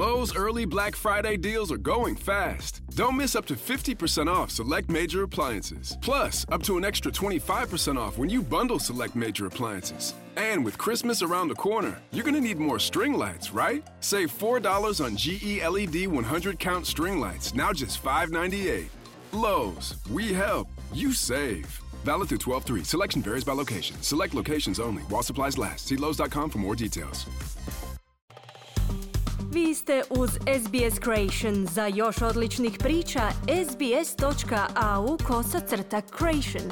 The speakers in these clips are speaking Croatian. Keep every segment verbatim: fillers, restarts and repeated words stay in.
Lowe's early Black Friday deals are going fast. Don't miss up to fifty percent off select major appliances. Plus, up to an extra twenty-five percent off when you bundle select major appliances. And with Christmas around the corner, you're going to need more string lights, right? Save four dollars on G E L E D one hundred count string lights, now just five ninety-eight. Lowe's, we help, you save. Valid through twelve three. Selection varies by location. Select locations only. While supplies last. See Lowe's dot com for more details. Vi ste uz S B S Creation. Za još odličnih priča, sbs.au kosacrta Creation.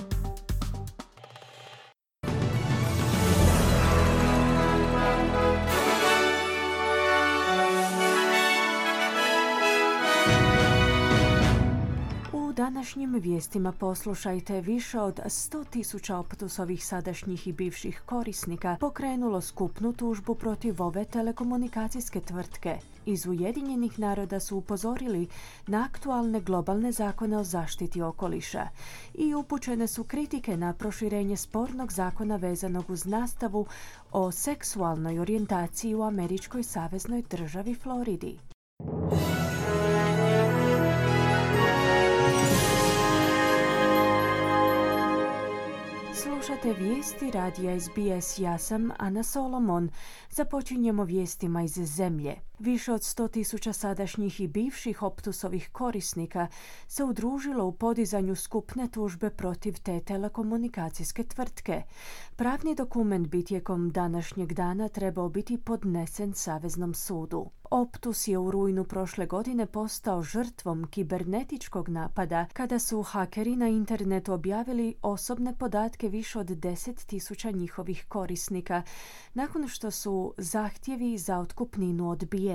U današnjim vijestima poslušajte, više od sto tisuća Optusovih sadašnjih i bivših korisnika pokrenulo skupnu tužbu protiv ove telekomunikacijske tvrtke. Iz Ujedinjenih naroda su upozorili na aktualne globalne zakone o zaštiti okoliša i upućene su kritike na proširenje spornog zakona vezanog uz nastavu o seksualnoj orijentaciji u američkoj saveznoj državi Floridi. Slušate vijesti radija S B S, ja sam Ana Solomon. Započinjemo vijestima iz zemlje. Više od sto tisuća sadašnjih i bivših Optusovih korisnika se udružilo u podizanju skupne tužbe protiv te telekomunikacijske tvrtke. Pravni dokument bi tijekom današnjeg dana trebao biti podnesen Saveznom sudu. Optus je u rujnu prošle godine postao žrtvom kibernetičkog napada kada su hakeri na internetu objavili osobne podatke više od deset tisuća njihovih korisnika nakon što su zahtjevi za otkupninu odbijeni.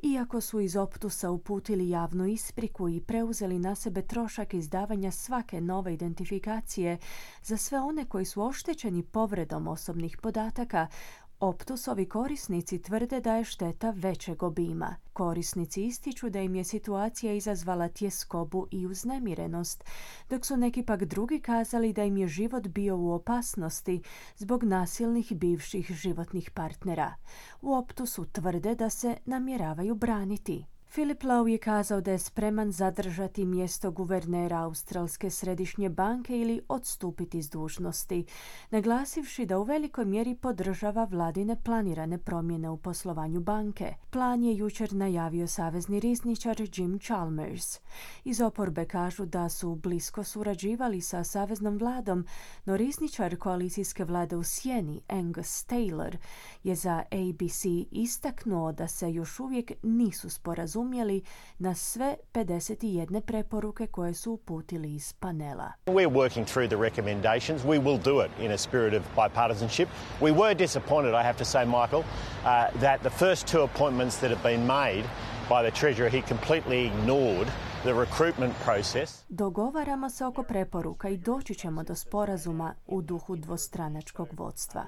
Iako su iz Optusa uputili javnu ispriku i preuzeli na sebe trošak izdavanja svake nove identifikacije za sve one koji su oštećeni povredom osobnih podataka, Optusovi korisnici tvrde da je šteta većeg obima. Korisnici ističu da im je situacija izazvala tjeskobu i uznemirenost, dok su neki pak drugi kazali da im je život bio u opasnosti zbog nasilnih bivših životnih partnera. U Optusu tvrde da se namjeravaju braniti. Philip Lowe je kazao da je spreman zadržati mjesto guvernera Australske središnje banke ili odstupiti s dužnosti, naglasivši da u velikoj mjeri podržava vladine planirane promjene u poslovanju banke. Plan je jučer najavio savezni rizničar Jim Chalmers. Iz oporbe kažu da su blisko surađivali sa saveznom vladom, no rizničar koalicijske vlade u sjeni Angus Taylor je za A B C istaknuo da se još uvijek nisu sporazumjeli na sve pedeset jedne preporuke koje su uputili iz panela. We're working through the recommendations. We will do it in a spirit of bipartisanship. We were disappointed, I have to say, Michael, uh, that the first two appointments that have been made by the Treasurer, he completely ignored the recruitment process. Dogovaramo se oko preporuka i doći ćemo do sporazuma u duhu dvostranačkog vodstva.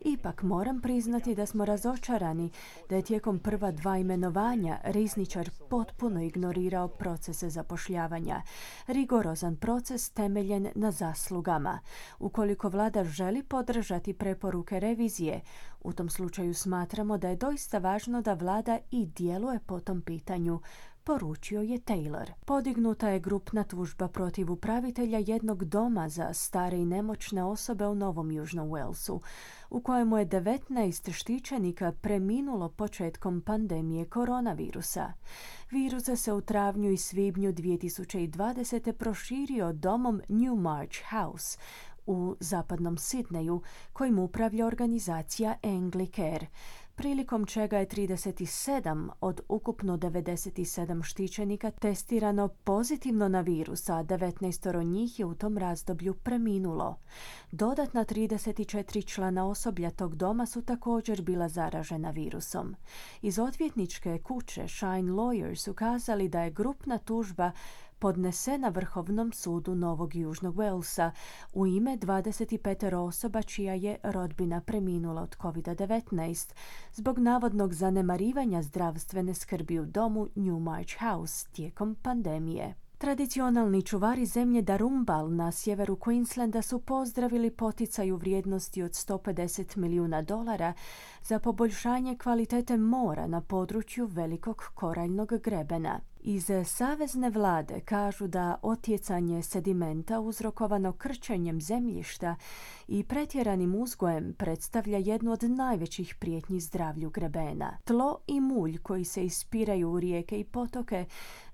Ipak moram priznati da smo razočarani da je tijekom prva dva imenovanja rizničar potpuno ignorirao procese zapošljavanja. Rigorozan proces temeljen na zaslugama. Ukoliko vlada želi podržati preporuke revizije, u tom slučaju smatramo da je doista važno da vlada i djeluje po tom pitanju, poručio je Taylor. Podignuta je grupna tužba protiv upravitelja jednog doma za stare i nemoćne osobe u Novom Južnom Walesu, u kojemu je devetnaest štićenika preminulo početkom pandemije koronavirusa. Virus se u travnju i svibnju dvije tisuće dvadesete proširio domom Newmarch House u zapadnom Sidneju, kojim upravlja organizacija Anglicare, prilikom čega je trideset sedam od ukupno devedeset sedam štićenika testirano pozitivno na virus, a devetnaest njih je u tom razdoblju preminulo. Dodatna trideset četiri člana osoblja tog doma su također bila zaražena virusom. Iz odvjetničke kuće Shine Lawyers su kazali da je grupna tužba podnesena Vrhovnom sudu Novog Južnog Walesa u ime dvadeset pet osoba čija je rodbina preminula od covid devetnaest zbog navodnog zanemarivanja zdravstvene skrbi u domu Newmarch House tijekom pandemije. Tradicionalni čuvari zemlje Darumbal na sjeveru Queenslanda su pozdravili poticaj u vrijednosti od sto pedeset milijuna dolara za poboljšanje kvalitete mora na području velikog koraljnog grebena. Iz savezne vlade kažu da otjecanje sedimenta uzrokovano krčenjem zemljišta i pretjeranim uzgojem predstavlja jednu od najvećih prijetnji zdravlju grebena. Tlo i mulj koji se ispiraju u rijeke i potoke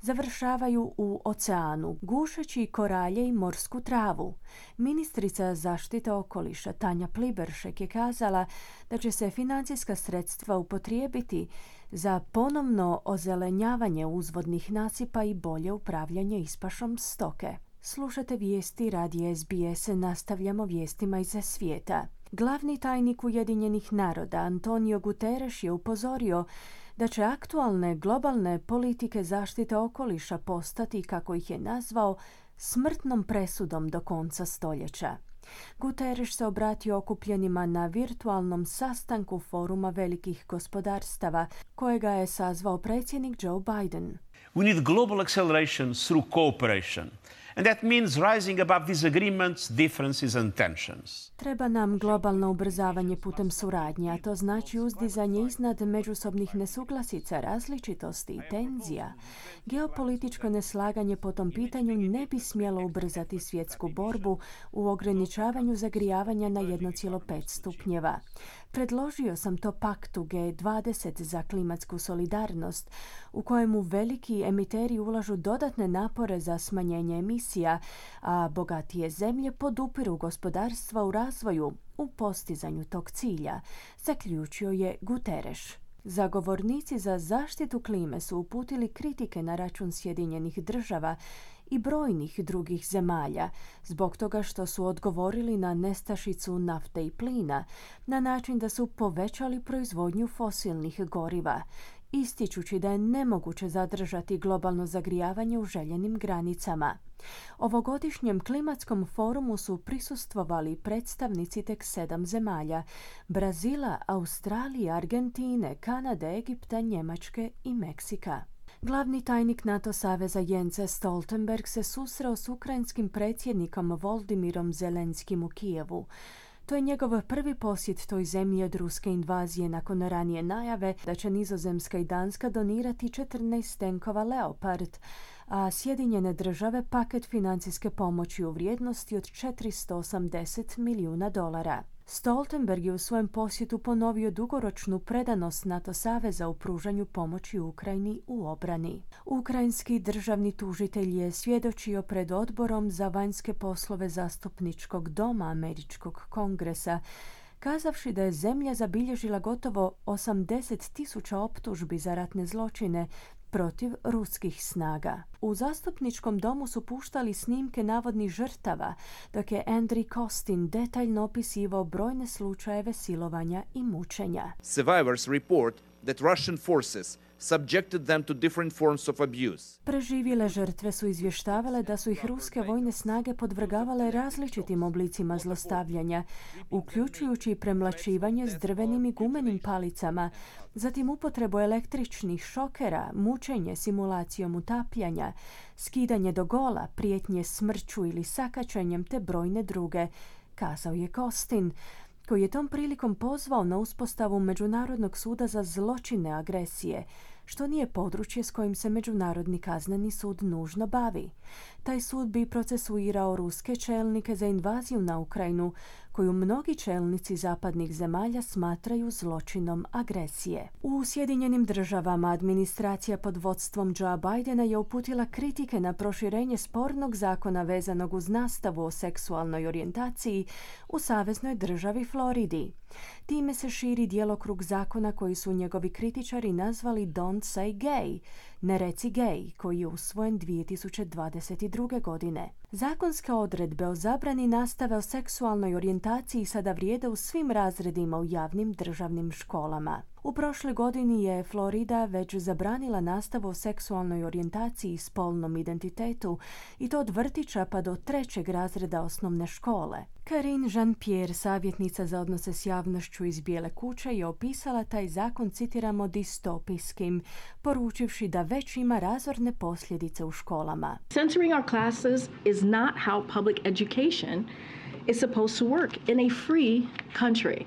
završavaju u oceanu, gušeći koralje i morsku travu. Ministrica zaštite okoliša Tanja Pliberšek je kazala da će se financijska sredstva upotrijebiti za ponovno ozelenjavanje uzvodnih nasipa i bolje upravljanje ispašom stoke. Slušate vijesti radija S B S, nastavljamo vijestima iz svijeta. Glavni tajnik Ujedinjenih naroda Antonio Guterres je upozorio da će aktualne globalne politike zaštite okoliša postati, kako ih je nazvao, smrtnom presudom do konca stoljeća. Guterres se obratio okupljenima na virtualnom sastanku Foruma velikih gospodarstava, kojega je sazvao predsjednik Joe Biden. We need global acceleration through cooperation. And that means rising above disagreements, differences and tensions. Treba nam globalno ubrzavanje putem suradnje, a to znači uzdizanje iznad međusobnih nesuglasica, različitosti i tenzija. Geopolitičko neslaganje po tom pitanju ne bi smjelo ubrzati svjetsku borbu u ograničavanju zagrijavanja na jedan zarez pet stupnjeva. Predložio sam to paktu G dvadeset za klimatsku solidarnost, u kojemu veliki emiteri ulažu dodatne napore za smanjenje emisija, a bogatije zemlje podupiru gospodarstva u razvoju u postizanju tog cilja, zaključio je Guterres. Zagovornici za zaštitu klime su uputili kritike na račun Sjedinjenih država i brojnih drugih zemalja zbog toga što su odgovorili na nestašicu nafte i plina na način da su povećali proizvodnju fosilnih goriva, ističući da je nemoguće zadržati globalno zagrijavanje u željenim granicama. Ovogodišnjem klimatskom forumu su prisustvovali predstavnici tek sedam zemalja: Brazila, Australije, Argentine, Kanade, Egipta, Njemačke i Meksika. Glavni tajnik NATO saveza Jens Stoltenberg se susreo s ukrajinskim predsjednikom Voldimirom Zelenskim u Kijevu. To je njegov prvi posjet toj zemlji od ruske invazije nakon ranije najave da će Nizozemska i Danska donirati četrnaest tenkova Leopard, a Sjedinjene države paket financijske pomoći u vrijednosti od četiristo osamdeset milijuna dolara. Stoltenberg je u svojem posjetu ponovio dugoročnu predanost NATO saveza u pružanju pomoći Ukrajini u obrani. Ukrajinski državni tužitelj je svjedočio pred odborom za vanjske poslove zastupničkog doma Američkog kongresa, kazavši da je zemlja zabilježila gotovo osamdeset tisuća optužbi za ratne zločine protiv ruskih snaga. U zastupničkom domu su puštali snimke navodnih žrtava, dok je Andriy Kostin detaljno opisivao brojne slučajeve silovanja i mučenja. Survivors report that Russian forces subjected them to different forms of abuse. Preživjele žrtve su izvještavale da su ih ruske vojne snage podvrgavale različitim oblicima zlostavljanja, uključujući premlaćivanje s drvenim i gumenim palicama, zatim upotrebu električnih šokera, mučenje simulacijom utapljanja, skidanje do gola, prijetnje smrću ili sakačenjem te brojne druge, kazao je Kostin, koji je tom prilikom pozvao na uspostavu Međunarodnog suda za zločine agresije, što nije područje s kojim se Međunarodni kazneni sud nužno bavi. Taj sud bi procesuirao ruske čelnike za invaziju na Ukrajinu, koju mnogi čelnici zapadnih zemalja smatraju zločinom agresije. U Sjedinjenim državama administracija pod vodstvom Joea Bidena je uputila kritike na proširenje spornog zakona vezanog uz nastavu o seksualnoj orijentaciji u saveznoj državi Floridi. Time se širi djelokrug zakona koji su njegovi kritičari nazvali Don't Say Gay, ne reci gay, koji je usvojen dvije tisuće dvadeset druge. godine. Zakonske odredbe o zabrani nastave o seksualnoj orijentaciji sada vrijede u svim razredima u javnim državnim školama. U prošloj godini je Florida već zabranila nastavu o seksualnoj orijentaciji i spolnom identitetu, i to od vrtića pa do trećeg razreda osnovne škole. Karine Jean-Pierre, savjetnica za odnose s javnošću iz Bijele kuće, je opisala taj zakon, citiramo, distopijskim, poručivši da već ima razorne posljedice u školama. Censoring our classes is not how public education is supposed to work in a free country.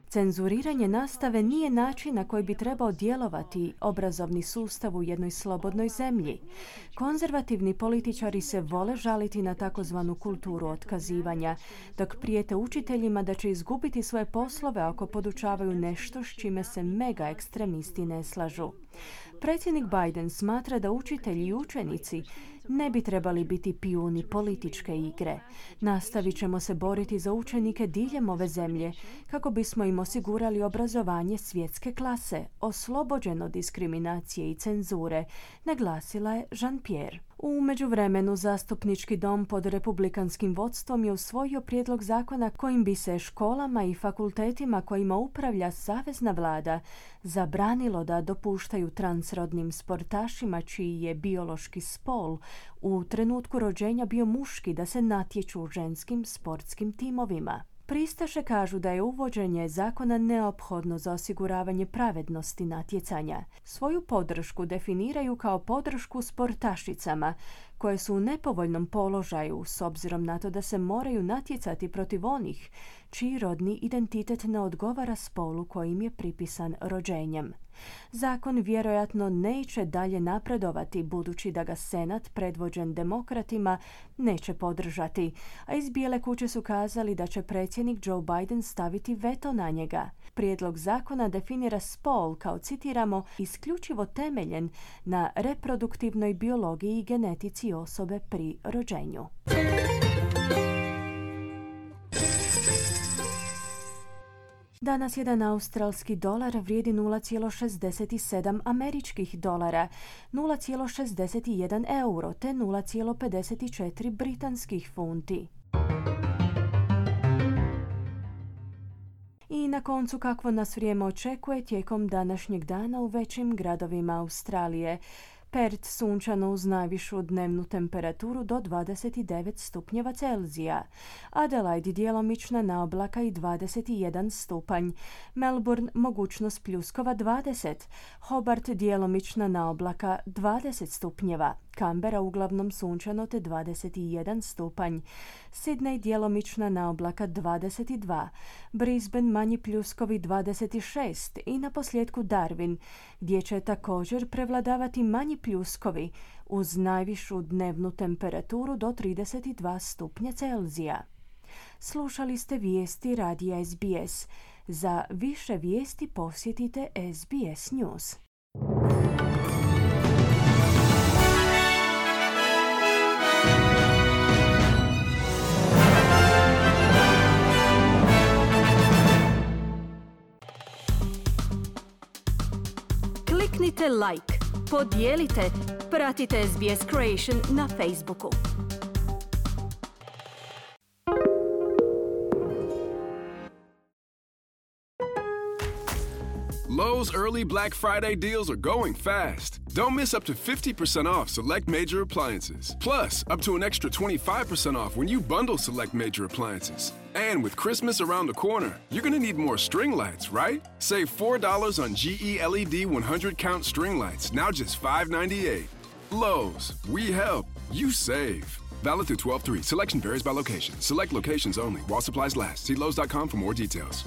Cenzuriranje nastave nije način na koji bi trebao djelovati obrazovni sustav u jednoj slobodnoj zemlji. Konzervativni političari se vole žaliti na takozvanu kulturu otkazivanja, dok prijete učiteljima da će izgubiti svoje poslove ako podučavaju nešto s čime se mega ekstremisti ne slažu. Predsjednik Biden smatra da učitelji i učenici ne bi trebali biti pijuni političke igre. Nastavit ćemo se boriti za učenike diljem ove zemlje kako bismo im osigurali obrazovanje svjetske klase, oslobođeno diskriminacije i cenzure, naglasila je Jean-Pierre. U međuvremenu zastupnički dom pod republikanskim vodstvom je usvojio prijedlog zakona kojim bi se školama i fakultetima kojima upravlja savezna vlada zabranilo da dopuštaju transrodnim sportašima čiji je biološki spol u trenutku rođenja bio muški da se natječu u ženskim sportskim timovima. Pristaše kažu da je uvođenje zakona neophodno za osiguravanje pravednosti natjecanja. Svoju podršku definiraju kao podršku sportašicama koje su u nepovoljnom položaju s obzirom na to da se moraju natjecati protiv onih čiji rodni identitet ne odgovara spolu kojim je pripisan rođenjem. Zakon vjerojatno neće dalje napredovati budući da ga Senat, predvođen demokratima, neće podržati, a iz Bijele kuće su kazali da će predsjednik Joe Biden staviti veto na njega. Prijedlog zakona definira spol kao, citiramo, isključivo temeljen na reproduktivnoj biologiji i genetici osobe pri rođenju. Danas jedan australski dolar vrijedi nula zarez šezdeset sedam američkih dolara, nula zarez šezdeset jedan euro te nula zarez pedeset četiri britanskih funti. I na koncu kakvo nas vrijeme očekuje tijekom današnjeg dana u većim gradovima Australije. Perth sunčano uz najvišu dnevnu temperaturu do dvadeset devet stupnjeva Celzija. Adelaide djelomična naoblaka i dvadeset jedan stupanj. Melbourne mogućnost pljuskova dvadeset. Hobart djelomična naoblaka dvadeset stupnjeva. Canberra uglavnom sunčano te dvadeset jedan stupanj. Sydney djelomična naoblaka dvadeset dva. Brisbane manji pljuskovi dvadeset šest i na posljedku Darwin, gdje će također prevladavati manji pljuskovi uz najvišu dnevnu temperaturu do trideset dva stupnja Celzija. Slušali ste vijesti radija S B S. Za više vijesti posjetite S B S News. Kliknite like, podijelite, pratite S B S Creation na Facebooku. Lowe's early Black Friday deals are going fast. Don't miss up to fifty percent off select major appliances. Plus, up to an extra twenty-five percent off when you bundle select major appliances. And with Christmas around the corner, you're going to need more string lights, right? Save four dollars on G E L E D one hundred count string lights, now just five ninety-eight. Lowe's, we help, you save. Valid through twelve three. Selection varies by location. Select locations only. While supplies last. See Lowe's dot com for more details.